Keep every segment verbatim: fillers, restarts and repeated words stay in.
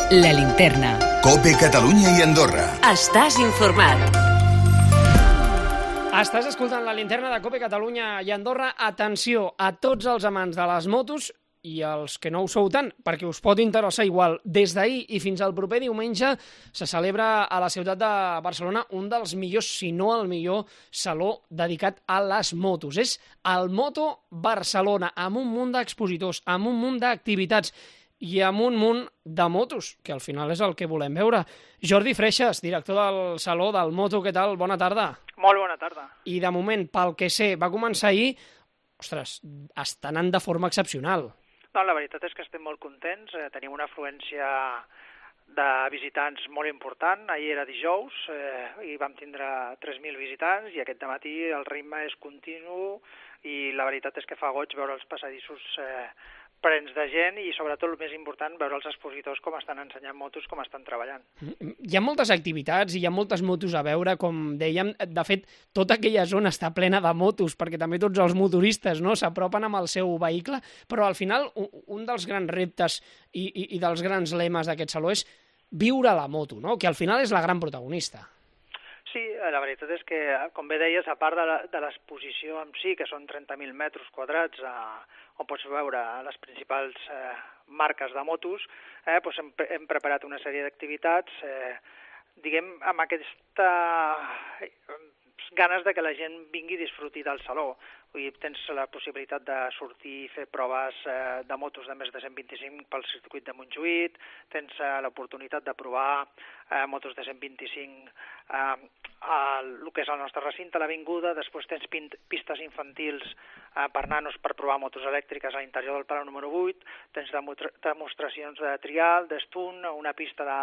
La Linterna. COPE Catalunya i Andorra. Estàs informat. Estàs escoltant La Linterna de COPE Catalunya i Andorra. Atenció a tots els amants de les motos i els que no ho sou tant, perquè us pot interessar igual. Des d'ahir i fins al proper diumenge se celebra a la ciutat de Barcelona un dels millors, si no el millor, saló dedicat a les motos. És el Moto Barcelona, amb un munt d'expositors, amb un munt d'activitats i amb un munt de motos, que al final és el que volem veure. Jordi Freixas, director del Saló del Moto, què tal? Bona tarda. Molt bona tarda. I de moment, pel que sé, va començar ahir, ostres, està anant de forma excepcional. No, la veritat és que estem molt contents, eh, tenim una afluència de visitants molt important. Ahir era dijous eh, i vam tindre tres mil visitants i aquest dematí el ritme és continu i la veritat és que fa goig veure els passadissos eh, plens de gent i, sobretot, el més important, veure els expositors com estan ensenyant motos, com estan treballant. Hi ha moltes activitats i hi ha moltes motos a veure, com dèiem. De fet, tota aquella zona està plena de motos, perquè també tots els motoristes, no, s'apropen amb el seu vehicle, però al final un dels grans reptes i, i, i dels grans lemes d'aquest saló és viure la moto, no?, que al final és la gran protagonista. Sí, la veritat és que, com bé deies, a part de l'exposició en si, que són trenta mil metres quadrats, eh, on pots veure les principals eh, marques de motos, eh, doncs hem, hem preparat una sèrie d'activitats, eh, diguem, amb aquesta ganes de que la gent vingui i disfruti del saló. Vull dir, tens la possibilitat de sortir i fer proves eh, de motos de més de cent vint-i-cinc pel circuit de Montjuïc, tens eh, l'oportunitat de provar eh, motos de cent vint-i-cinc eh, al que és el nostre recinte, a l'avinguda, després tens pistes infantils eh, per nanos per provar motos elèctriques a l'interior del Palau número vuit, tens demostracions de trial, d'estunt, una pista de,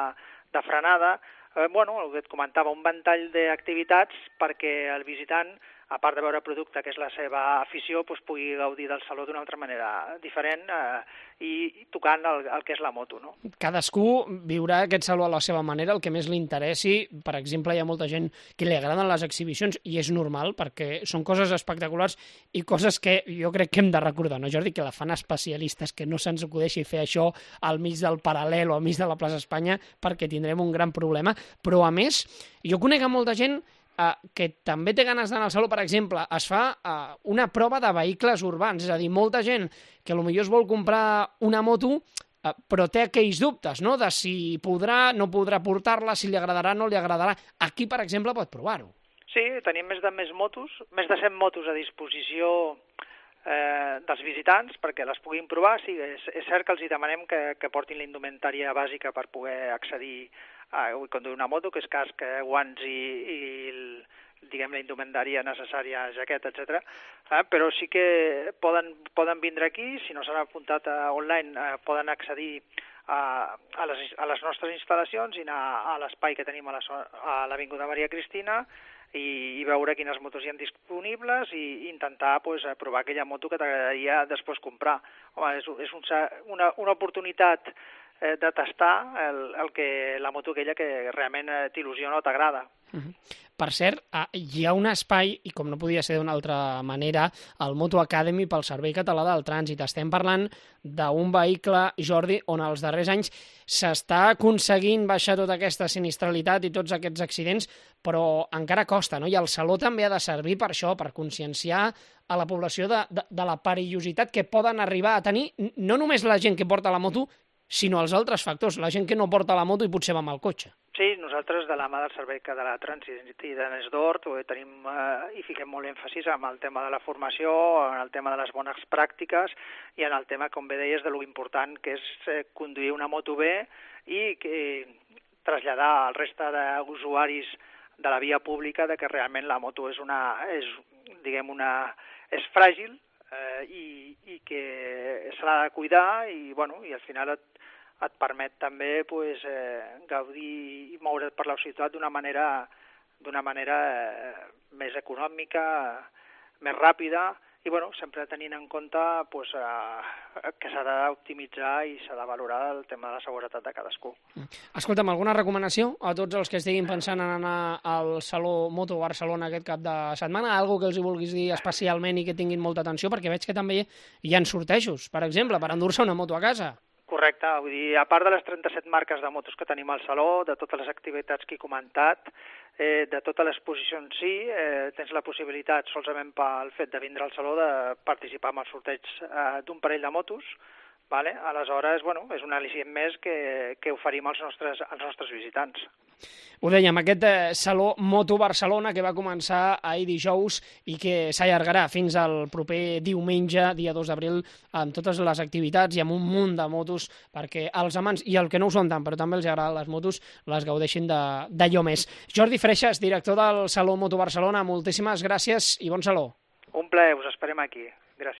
de frenada, eh, bueno, el que et comentava, un ventall d'activitats perquè el visitant, a part de veure producte, que és la seva afició, doncs pugui gaudir del saló d'una altra manera diferent eh, i tocant el, el que és la moto, no? Cadascú viurà aquest saló a la seva manera, el que més li interessi. Per exemple, hi ha molta gent que li agraden les exhibicions i és normal perquè són coses espectaculars i coses que jo crec que hem de recordar, no, Jordi? Que la fan especialistes, que no se'ns acudeixi fer això al mig del Paral·lel o al mig de la plaça Espanya perquè tindrem un gran problema. Però, a més, jo conec a molta gent Uh, que també té ganes d'anar al saló. Per exemple, es fa uh, una prova de vehicles urbans, és a dir, molta gent que potser es vol comprar una moto uh, però té aquells dubtes, no?, de si podrà, no podrà portar-la, si li agradarà, no li agradarà. Aquí, per exemple, pot provar-ho. Sí, tenim més de més motos, més de cent motos a disposició eh, dels visitants perquè les puguin provar. Sí, és, és cert que els hi demanem que, que portin la indumentària bàsica per poder accedir a conduir una moto, que és casc, guants i, i el, diguem, la indumentària necessària, jaqueta, etcètera. Eh, però sí que poden, poden vindre aquí, si no s'han apuntat a online, eh, poden accedir a, a, les, a les nostres instal·lacions i anar a l'espai que tenim a l'Avinguda Maria Cristina i, i veure quines motos hi ha disponibles i intentar pues, provar aquella moto que t'agradaria després comprar. Home, és, és un, una, una oportunitat eh, de tastar el, el que, la moto aquella que realment eh, t'il·lusiona o t'agrada. Uh-huh. Per cert, hi ha un espai, i com no podia ser d'una altra manera, el Moto Academy pel Servei Català del Trànsit. Estem parlant d'un vehicle, Jordi, on els darrers anys s'està aconseguint baixar tota aquesta sinistralitat i tots aquests accidents, però encara costa, no? I el Saló també ha de servir per això, per conscienciar a la població de, de, de la perillositat que poden arribar a tenir no només la gent que porta la moto, sinó els altres factors, la gent que no porta la moto i potser va amb el cotxe. Sí, nosaltres de la mà del Servei Català de Trànsit i de Nesdort tenim eh, i fiquem molt èmfasis en el tema de la formació, en el tema de les bones pràctiques i en el tema, com bé deies, de lo important que és eh, conduir una moto bé i que, traslladar al resta d'usuaris de la via pública de que realment la moto és una, és, diguem, una, és fràgil eh, i, i que se l'ha de cuidar i, bueno, i al final et et permet també pues, eh, gaudir i moure't per la ciutat d'una manera, d'una manera eh, més econòmica, més ràpida i bueno, sempre tenint en compte pues, eh, que s'ha d'optimitzar i s'ha de valorar el tema de la seguretat de cadascú. Escolta'm, alguna recomanació a tots els que estiguin pensant en anar al Saló Moto Barcelona aquest cap de setmana? Algo que els hi vulguis dir especialment i que tinguin molta atenció? Perquè veig que també hi ha sortejos, per exemple, per endur-se una moto a casa. Correcte, vull dir, a part de les trenta-set marques de motos que tenim al saló, de totes les activitats que he comentat, eh, de tota l'exposició en si, eh, tens la possibilitat, solament pel fet de vindre al saló, de participar en el sorteig eh, d'un parell de motos. Vale? Aleshores, bueno, és un al·licient més que, que oferim als nostres, als nostres visitants. Ho dèiem, aquest eh, Saló Moto Barcelona que va començar ahir dijous i que s'allargarà fins al proper diumenge, dia dos d'abril, amb totes les activitats i amb un munt de motos perquè els amants, i el que no ho són tant, però també els agraden les motos, les gaudeixin d'allò més. Jordi Freixas, director del Saló Moto Barcelona, moltíssimes gràcies i bon saló. Un plaer, us esperem aquí.